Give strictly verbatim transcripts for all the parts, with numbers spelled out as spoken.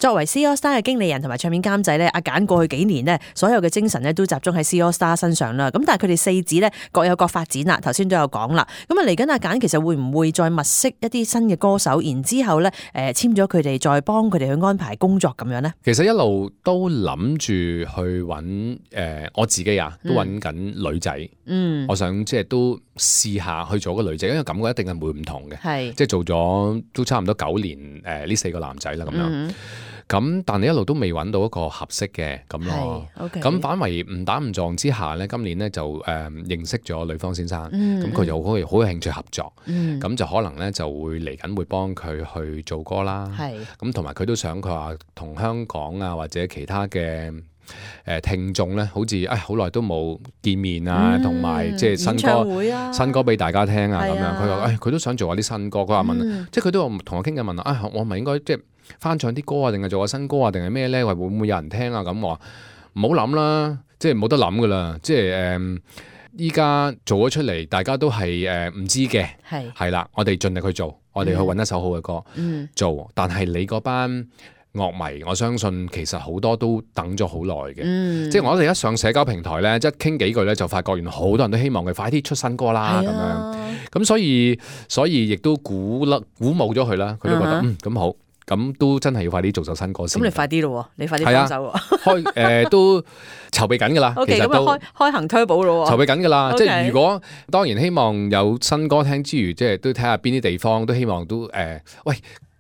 作為 C AllStar 嘅經理人同埋唱片監製咧，阿簡過去幾年咧，所有嘅精神咧都集中喺 C AllStar 身上啦。咁但係佢哋四子咧各有各發展啦。頭先都有講啦。咁啊嚟緊阿簡其實會唔會再物色一啲新嘅歌手，然之後咧誒簽咗佢哋，再幫佢哋去安排工作咁樣咧？其實一路都諗住去揾誒、呃、我自己啊，都揾緊女仔。嗯，我想即係都試下去做個女仔，因為感覺一定係會唔同嘅。係即係做咗都差唔多九年誒呢、呃、四個男仔啦咁樣。嗯咁但係一路都未揾到一個合適嘅咁咯，咁、okay. 反為誤打誤撞之下咧，今年咧就誒、呃、認識咗呂方先生，咁、嗯、佢就好好有興趣合作，咁、嗯、就可能咧就會嚟緊會幫佢去做歌啦，咁同埋佢都想佢話同香港啊或者其他嘅誒、呃、聽眾咧，好似誒好耐都冇見面啊，同埋即係新歌、啊、新歌俾大家聽啊咁樣，佢話誒佢都想做下啲新歌，佢話問，嗯、即係佢都同我傾緊問啊，我咪應該即係翻唱啲歌啊，定係做下新歌啊，定係咩咧？話會唔會有人聽啊？咁我話唔好諗啦，即係冇得諗噶啦，即係誒依家做咗出嚟，大家都係誒唔知嘅，係係啦，我哋盡力去做，我哋去揾一首好嘅歌、嗯、做，但係你嗰班樂迷，我相信其實好多都等咗好耐嘅，即係我哋一上社交平台咧，即係傾幾句咧，就發覺原來好多人都希望佢快啲出新歌啦咁、啊、樣，咁所以所以亦都鼓勵鼓舞咗佢啦，佢都覺得、uh-huh. 嗯咁好。咁都真係要快啲做首新歌先。咁你快啲咯，你快啲幫手喎。開誒、呃、都籌備緊㗎啦。O K， 咁啊開開行 turbo 咯喎。籌備緊㗎啦， okay. 即係如果當然希望有新歌聽之餘，即係都睇下邊啲地方都希望都誒、呃，喂。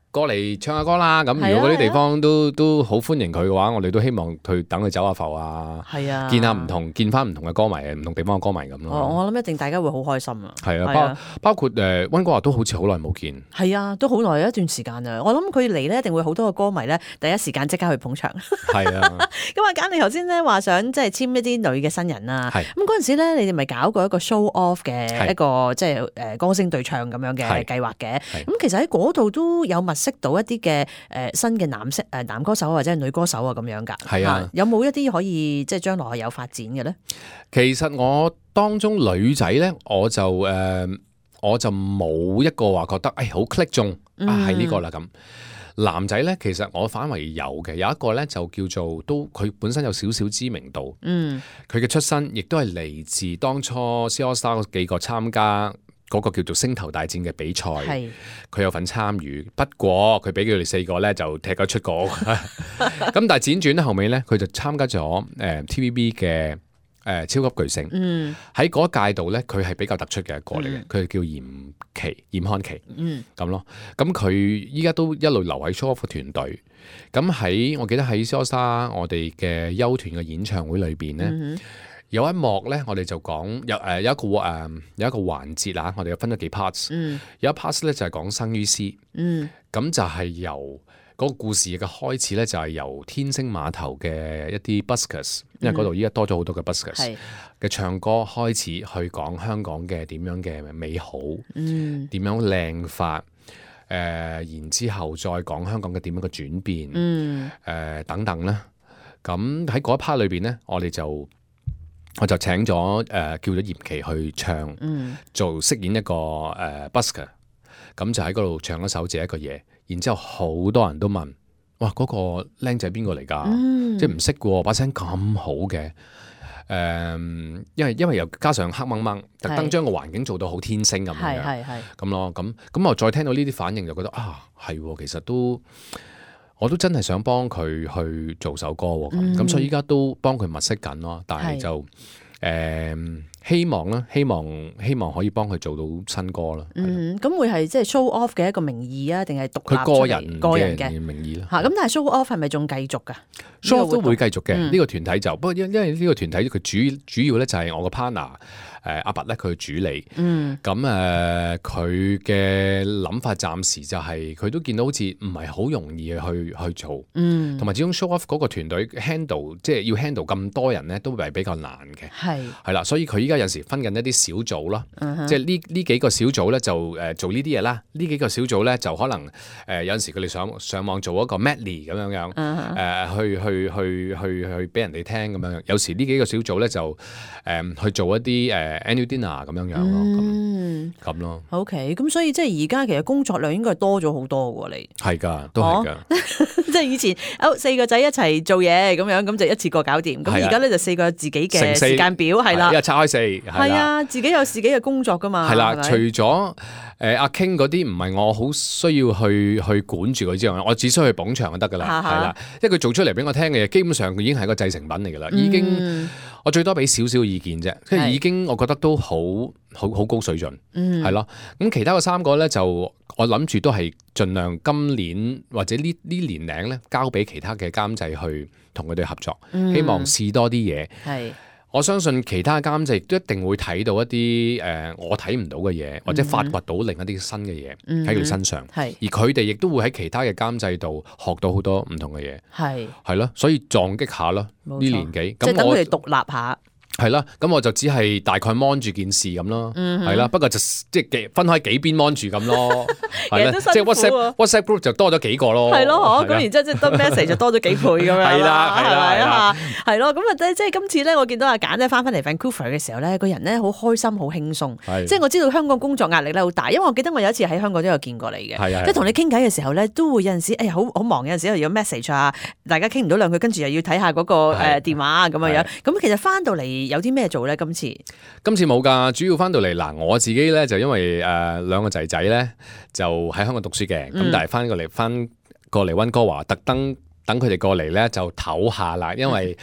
過嚟唱下歌啦，咁如果嗰啲地方都、啊、都好歡迎佢嘅話，我哋都希望去等佢走下埠啊，啊見下唔同，見翻唔同嘅歌迷，唔同地方嘅歌迷咁咯。哦，我諗一定大家會好開心啊。係啊，包包括誒溫哥華都好似好耐冇見。係啊，都好耐一段時間啊。我諗佢嚟咧，一定會好多嘅歌迷咧，第一時間即刻去捧場。係啊。咁啊，簡你頭先咧話想即係簽一啲女嘅新人啊。係。咁嗰陣時咧，你哋咪搞過一個 show off 嘅一個即係誒歌星對唱咁樣嘅計劃嘅。咁其實喺嗰度都有物識到一啲嘅誒新嘅男色誒男歌手或者係女歌手啊咁樣㗎，係啊，有冇一啲可以即係將來係有發展嘅咧？其實我當中女仔咧，我就誒、呃、我就冇一個話覺得誒好 click 中啊係呢個啦咁。男仔咧，其實我反為有嘅，有一個咧就叫做都佢本身有少少知名度，嗯，佢嘅出身亦都係嚟自當初 C AllStar 嗰幾個參加嗰個叫做星頭大戰嘅比賽，佢有份參與。不過佢俾佢哋四個咧就踢咗出局。咁但係輾轉咧後尾咧，佢就參加咗誒、呃、T V B 嘅誒、呃、超級巨星。嗯，喺嗰一屆度咧，佢係比較突出嘅一個嚟嘅。佢、嗯、叫嚴琪、嚴漢琪。嗯，咁咯。咁佢依家都一路留喺 show off 團隊。咁喺我記得喺 C AllStar 我哋嘅休團嘅演唱會裏邊咧。嗯有一幕咧，我哋就講有誒、呃、有一個誒、呃、有一個環節啊，我哋有分咗幾 parts、嗯。有一 part 咧就係、是、講生於斯。嗯，咁就係由嗰個故事嘅開始咧，就係由天星碼頭嘅一啲 buskers，、嗯、因為嗰度依家多咗好多嘅 buskers 嘅唱歌開始去講香港嘅點樣嘅美好，嗯，點樣靚法，誒、呃，然之後再講香港嘅點樣嘅轉變，嗯，誒、呃、等等啦。咁喺嗰一 part 裏邊咧，我哋就我就請咗誒、呃、叫咗嚴琪去唱，嗯、做飾演一個誒、呃、busker， 咁就喺嗰度唱一首《這一個夜》，然之後好多人都問，哇嗰、那個僆仔邊個嚟㗎？嗯、即係唔識嘅喎，把聲咁好嘅，誒、呃，因為因為又加上黑掹掹，特登將個環境做到好天星咁樣，咁咯，咁咁我再聽到呢啲反應就覺得啊，係喎，其實都。我都真係想幫佢去做首歌喎，咁、嗯、所以依家都幫佢物色緊咯，但係就誒、呃、希望啦，希望希望可以幫佢做到新歌啦。嗯，咁會係即係 show off 嘅一個名義啊，定係獨立出嚟個人嘅名義啦？嚇，咁但係 show off 係咪仲繼續㗎？show off 都會繼續嘅，呢、嗯、個團體就不過因因為呢個團體佢主主要咧就係我個 partner。誒阿拔咧佢主理，咁誒佢嘅諗法暫時就係、是、佢都見到好似唔係好容易去去做，同、嗯、埋始終 show off 嗰個團隊 handle 即係要 handle 咁多人咧，都係比較難嘅，係係啦，所以佢依家家有時分緊一啲小組咯，即係呢呢幾個小組咧就誒做呢啲嘢啦，呢幾個小組咧就可能誒有陣時佢哋上上網做一個 medley 咁樣樣，誒去去去去去俾人哋聽咁樣樣，有時呢幾個小組咧就誒去做一啲誒 annual dinner 咁樣樣咯，咁咁咯。OK，咁所以即係而家其實工作量應該係多咗好多喎，你係㗎，都係㗎，即係以前哦四個仔一齊做嘢咁樣，咁就一次過搞掂。咁而家咧就四個自己嘅時間表係啦，一日拆開四係啊，自己有自己嘅工作㗎嘛。係啦，除咗誒阿 King 嗰啲唔係我好需要去去管住佢之外，我只需要去捧場就得㗎啦，係啦，因為佢做出嚟俾我聽嘅嘢，基本上佢已經係個製成品嚟㗎啦，已經、嗯、我最多俾少少意見啫，即係已經我覺得都好好好高水準，係咯、嗯。咁其他嘅三個咧就我諗住都係盡量今年或者呢呢年齡咧交俾其他嘅監製去同佢哋合作，嗯、希望試多啲嘢。係。我相信其他監製都一定會睇到一啲誒、呃、我睇唔到嘅嘢，或者發掘到另一啲新嘅嘢喺佢身上。係、嗯，而佢哋亦都會喺其他嘅監製度學到好多唔同嘅嘢。係，係咯，所以撞擊下咯呢年紀。即係等佢哋獨立下。係啦，咁我就只係大概 mon 住件事咁咯，係啦、嗯，不過就即係分開幾邊 mon 住咁咯，係啦，即係 WhatsApp WhatsApp group 就多咗幾個咯，係咯，咁然之後即係得 message 就多咗幾倍咁樣，係啦，係咪啊？係咯，咁啊即係今次咧，我見到阿簡咧翻返嚟 Vancouver 嘅時候咧，個人咧好開心，好輕鬆，即係我知道香港工作壓力咧好大，因為我記得我有一次喺香港都有見過你嘅，即係同你傾偈嘅時候咧，都會有陣時誒好好忙，有陣時又有 message 啊，大家傾唔到兩句，跟住又要睇下嗰個誒電話啊咁樣樣，咁其實翻到嚟有啲咩做咧？今次今次冇㗎，主要翻到嚟嗱，我自己咧就因為誒、呃、兩個仔仔咧就喺香港讀書嘅，咁、嗯、但係翻過嚟翻過嚟溫哥華，特登等佢哋過嚟咧就唞下啦，因為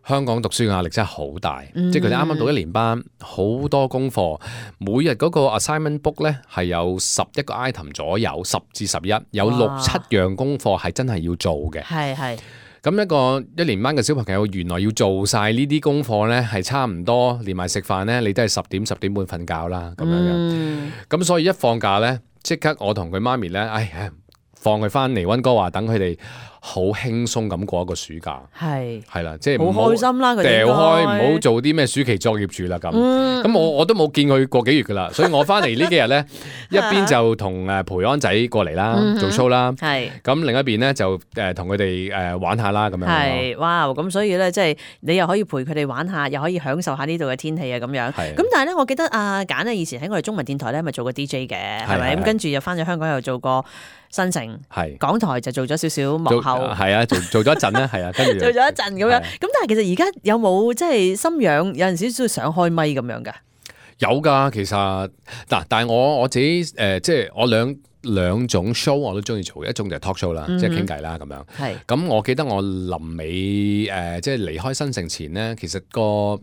香港讀書嘅壓力真係好大，嗯、即係佢哋啱啱讀一年班，好多功課，每日嗰個 assignment book 咧係有十一個 item 左右，十至十一，有六七樣功課係真係要做嘅，係係。咁一個一年班嘅小朋友，原來要做晒呢啲功課咧，係差唔多連埋食飯咧，你都係十點十點半瞓覺啦，咁樣樣。咁、嗯、所以一放假咧，即刻我同佢媽咪咧，哎呀，放佢翻嚟溫哥華，等佢哋好輕鬆咁過一個暑假。係係啦，即係好開心啦，佢掉開，唔好做啲咩暑期作業住啦咁。咁、嗯、我我都冇見佢過幾月噶啦，所以我翻嚟呢幾日咧，一邊就同誒培安仔過嚟啦，嗯、做 show 啦。係咁另一邊咧就誒同佢哋誒玩下啦咁樣。係哇，咁所以咧即係你又可以陪佢哋玩下，又可以享受下呢度嘅天氣啊咁樣。咁但係咧，我記得阿簡咧以前喺我哋中文電台咧咪做過 D J 嘅，係咪？咁跟住又翻咗香港又做過新城，係港台就做咗少少幕後，係啊，做做咗一陣咧，係啊，跟住做咗一陣咁樣。咁但係其實而家有冇即係心癢，有陣時都想開咪咁樣噶？有噶，其實嗱，但係我我自己誒、呃，即係我兩兩種 show 我都中意做嘅，一種就係 talk show 啦，嗯、哼即係傾偈啦咁樣。係咁，我記得我臨尾誒、呃，即係離開新城前咧，其實個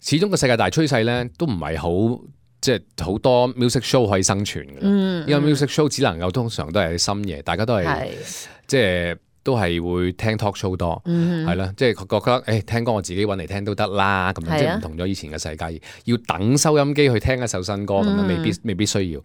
始終個世界大趨勢咧，都唔係好。即係好多 music show 可以生存嘅，嗯嗯、因為 music show 只能夠通常都係喺深夜，大家都係是即係都係會聽 talk show 多，係啦、嗯，即係覺得誒、欸、聽歌我自己揾嚟聽都得啦，咁樣、啊、即係唔同咗以前嘅世界，要等收音機去聽一首新歌咁樣、嗯，未必未必需要。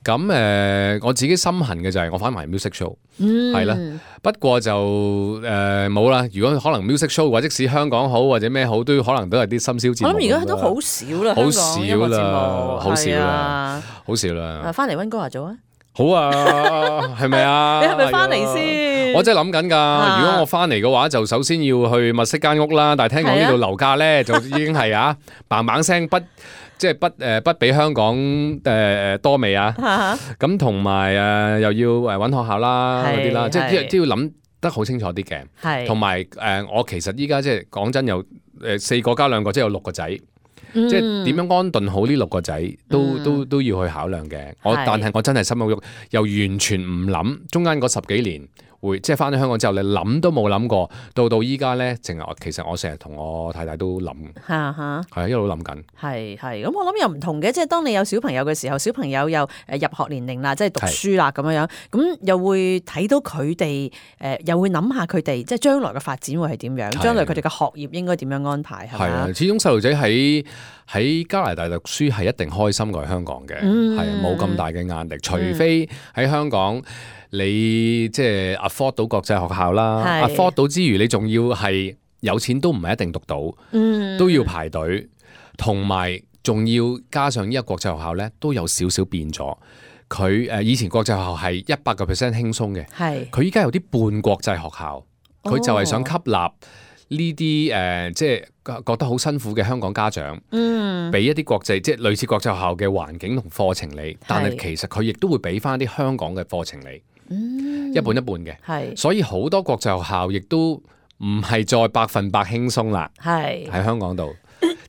咁誒、呃，我自己心痕嘅就係我翻埋 music show，係啦、嗯。不過就誒冇啦。如果可能 music show 或者使香港好或者咩好，都可能都係啲深宵節目。我諗而家都好少啦，好少啦，好少啦，好少啦。翻嚟溫哥華做啊！好啊，係咪啊？你係咪翻嚟先？我真係諗緊㗎。如果我翻嚟嘅話，就首先要去物色間屋啦。但係聽講呢度樓價咧，就已經係啊，嘭嘭聲不。即係不誒不比香港誒誒多味啊！咁同埋誒又要誒揾學校啦嗰啲啦，即係都要諗得好清楚啲嘅。係同埋誒，我其實依家即係講真，有誒四個加兩個，即係有六個仔。嗯、即係點樣安頓好呢六個仔，都都都要去考量嘅。我是但係我真係心好喐，又完全唔諗中間嗰十幾年會即係翻咗香港之後，你諗都冇諗過，到到依家咧，淨係其實我成日同我太太都諗，係係哈一路諗緊。係係咁，我諗又唔同嘅，即係當你有小朋友嘅時候，小朋友又誒入學年齡啦，即係讀書啦咁樣樣，咁又會睇到佢哋誒，又會諗下佢哋即係將來嘅發展會係點樣，將來佢哋嘅學業應該點樣安排係啊，始終細路仔喺喺加拿大讀書係一定開心過喺香港嘅，係冇咁大嘅壓力，除非喺香港。你即係 afford 到國際學校啦是，afford 到之餘，你仲要係有錢都唔係一定讀到，嗯、都要排隊。同埋仲要加上呢個國際學校咧，都有少少變咗。佢誒以前國際學校係一百個 percent 輕鬆嘅，係佢依家有啲半國際學校，佢就係想吸納呢啲誒，即係覺得好辛苦嘅香港家長，嗯，俾一啲國際即係類似國際學校嘅環境同課程你，但係其實佢亦都會俾翻啲香港嘅課程你，嗯，一半一半嘅，係，所以好多國際學校亦都唔係再百分百輕鬆啦，係喺香港度，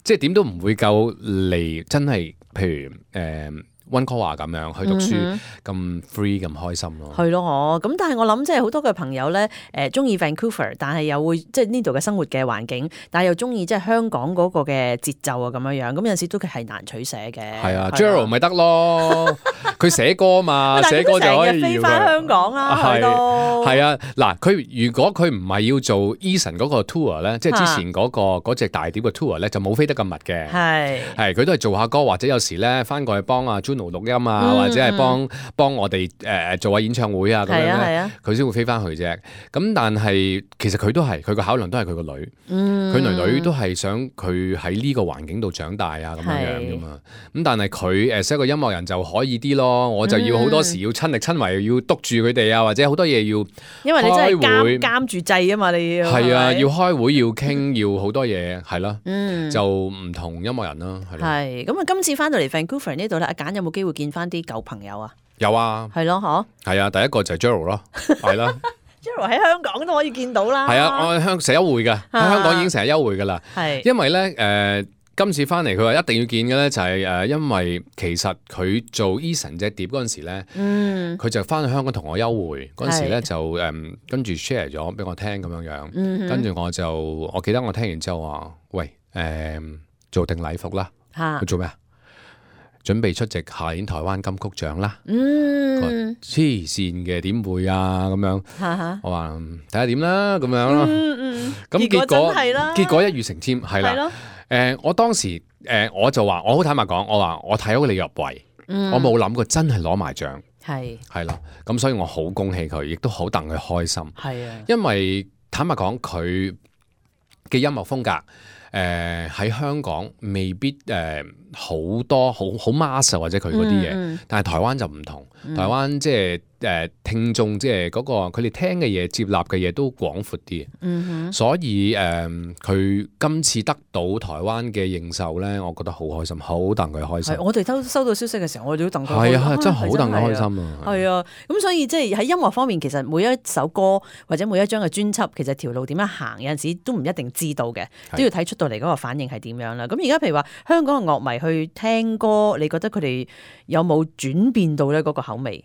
即係點都唔會夠嚟真係，譬如誒。呃溫哥華咁樣去讀書咁、嗯、free 咁開心咯，係咯，咁但係我諗即係好多嘅朋友咧，誒中意 Vancouver， 但係又會即係呢度嘅生活嘅環境，但係又中意即係香港嗰個嘅節奏啊咁樣樣，咁有陣時都係難取捨嘅。係啊 Gerald 咪得咯，佢寫歌嘛，寫歌就可以飛翻香港啦，係咯。係啊，嗱，佢如果佢唔係要做 Eason 嗰個 tour 咧，即係之前嗰、嗰個嗰隻大碟嘅 tour 咧，就冇飛得咁密嘅。係係，佢都係做下歌，或者有時咧翻過去幫阿錄音啊，嗯、或者係幫幫我哋誒、呃、做下演唱會啊咁樣咧，佢先、啊、會飛翻去啫。咁但係其實佢都係佢個考量都係佢個女，佢、嗯、女女都係想佢喺呢個環境度長大啊咁樣樣噶嘛。咁但係佢誒，一個音樂人就可以啲咯。我就要好多時要親力親為，要督住佢哋啊，或者好多嘢要，因為你真係監監住掣啊嘛，你要係啊，要開會要傾，要好多嘢係咯，嗯、就唔同音樂人啦。係咁啊！今次翻到嚟 Vancouver 呢度咧，阿簡有冇機會見翻啲舊朋友啊？有啊，係咯，嗬，係啊，第一個就係 Gerald 咯，係啦，Gerald 喺香港都可以見到啦。係啊，我香成日優惠噶，喺香港已經成日優惠噶啦。係，因為咧，誒、呃，今次翻嚟佢話一定要見嘅咧，就係、是、誒、呃，因為其實佢做 Eason 隻碟嗰陣時咧，嗯，佢就翻去香港同我優惠嗰陣時咧，就誒、嗯、跟住 share 咗俾我聽咁樣樣，嗯、跟住我就我記得我聽完之後話，喂，誒、呃，做定禮服啦，佢做咩啊？準備出席下年台灣金曲獎啦！嗯，黐線嘅點會啊咁樣？哈哈我話睇下點啦咁樣咯。嗯嗯，咁結果結果，結果一語成讖係啦。誒、呃，我當時誒、呃、我就話，我好坦白講，我話我睇到你入圍，嗯、我冇諗過真係攞埋獎。係係啦，咁所以我好恭喜佢，亦都好戥佢開心。係啊，因為坦白講，佢嘅音樂風格。誒喺、呃、香港未必誒好、呃、多好好 mass 或者佢嗰啲嘢，嗯嗯、但係台灣就唔同，嗯、台灣即係誒聽眾即係嗰個佢哋聽嘅嘢接納嘅嘢都廣闊啲，嗯、哼所以誒佢、呃、今次得到台灣嘅認受咧，我覺得好開心，好戥佢開心。我哋收收到消息嘅時候，我哋都戥佢係啊，真係好戥佢開心啊！係啊，咁所以即係喺音樂方面，其實每一首歌或者每一張嘅專輯，其實條路點樣行，有陣時都唔一定知道嘅，都要睇出到嚟嗰個反應係點樣啦。咁而家譬如話香港嘅樂迷去聽歌，你覺得佢哋有冇轉變到咧嗰個口味？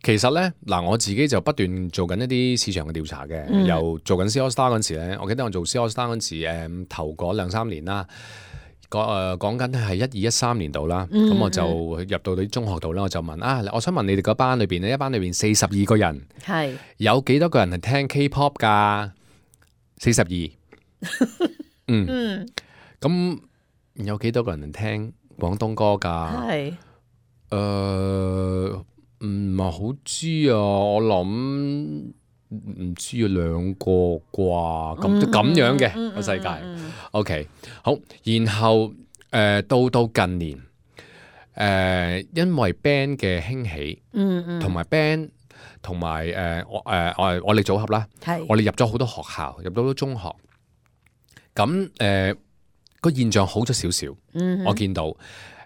其實咧嗱，我自己就不斷做緊一啲市場嘅調查嘅，嗯、又做緊 C AllStar 嗰陣時咧，我記得我做 C AllStar 嗰陣時，誒、嗯、頭嗰兩三年啦，講誒講緊係一二一三年度啦，咁、嗯、我就入到啲中學度啦，我就問啊，我想問你哋嗰班裏邊咧，一班裏邊四十二個人，係是有幾多個人係聽 K-pop 噶？四十二，嗯，咁、嗯、有幾多個人係聽廣東歌噶？係是，誒、呃。唔係好知啊，我諗唔知啊，兩個啩，咁咁樣嘅個世界。OK，好，然後誒、呃、到到近年，誒、呃、因為 band 嘅興起，嗯嗯，同埋 band 同埋誒我誒我我哋組合啦，係是我哋入咗好多學校，入到好多中學，咁誒個現象好咗少少，嗯哼，我見到誒、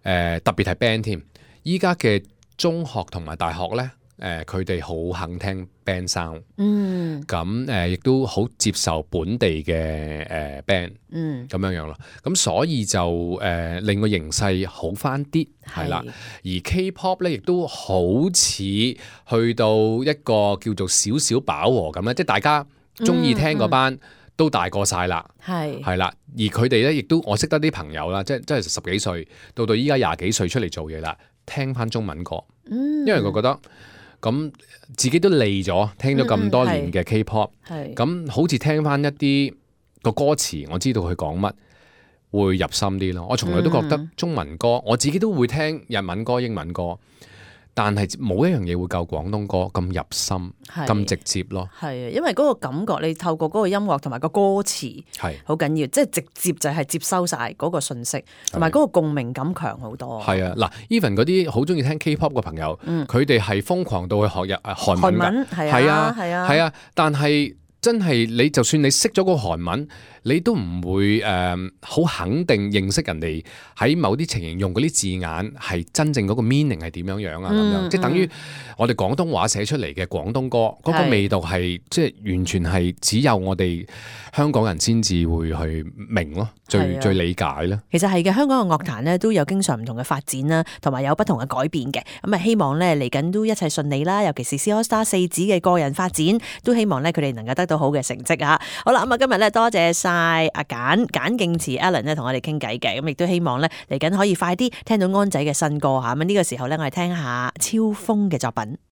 呃、特別係 band 添，依家嘅。中學同埋大學咧，誒佢哋好肯聽 band sound，嗯，咁誒亦都好接受本地嘅誒、呃、band，嗯，咁樣樣咯，咁所以就誒、呃、令個形勢好翻啲，係啦，而 K-pop 咧亦都好似去到一個叫做少少飽和咁咧，即係大家中意聽嗰班都大個晒啦，係係啦，而佢哋咧亦都我識得啲朋友啦，即係即係十幾歲到到依家廿幾歲出嚟做嘢啦。聽翻中文歌，因為我覺得咁自己都膩咗，聽咗咁多年嘅 K-pop，咁好似聽翻一啲個歌詞，我知道佢講乜會入心啲咯。我從來都覺得中文歌，我自己都會聽日文歌、英文歌，但係冇一樣嘢會夠廣東歌咁入心、咁直接咯。係啊，因為嗰個感覺，你透過嗰個音樂同埋個歌詞係好緊要，即係直接就係接收晒嗰個信息，同埋嗰個共鳴感強好多。係啊，嗱 ，even 嗰啲好中意聽 K-pop 嘅朋友，佢哋係瘋狂到去學日韓文㗎，係啊，係啊，係啊，但係真係你就算你識咗個韓文，你都唔會誒好、呃、肯定認識人哋喺某啲情形用嗰啲字眼係真正嗰個 meaning 係點樣樣啊咁樣，嗯、即係等於我哋廣東話寫出嚟嘅廣東歌嗰、嗰個味道係即係完全係只有我哋香港人先至會去明咯，最最理解咧。其實係嘅，香港嘅樂壇咧都有經常唔同嘅發展啦，同埋有不同嘅改變嘅。咁啊，希望咧嚟緊都一切順利啦，尤其是 C AllStar 四子嘅個人發展，都希望咧佢哋能夠得到好嘅成績啊！好啦，咁啊今日咧多謝晒阿簡簡敬辭 Alan 咧同我哋傾偈嘅，咁亦都希望咧嚟緊可以快啲聽到安仔嘅新歌吓。咁呢個時候咧，我哋聽下超風嘅作品。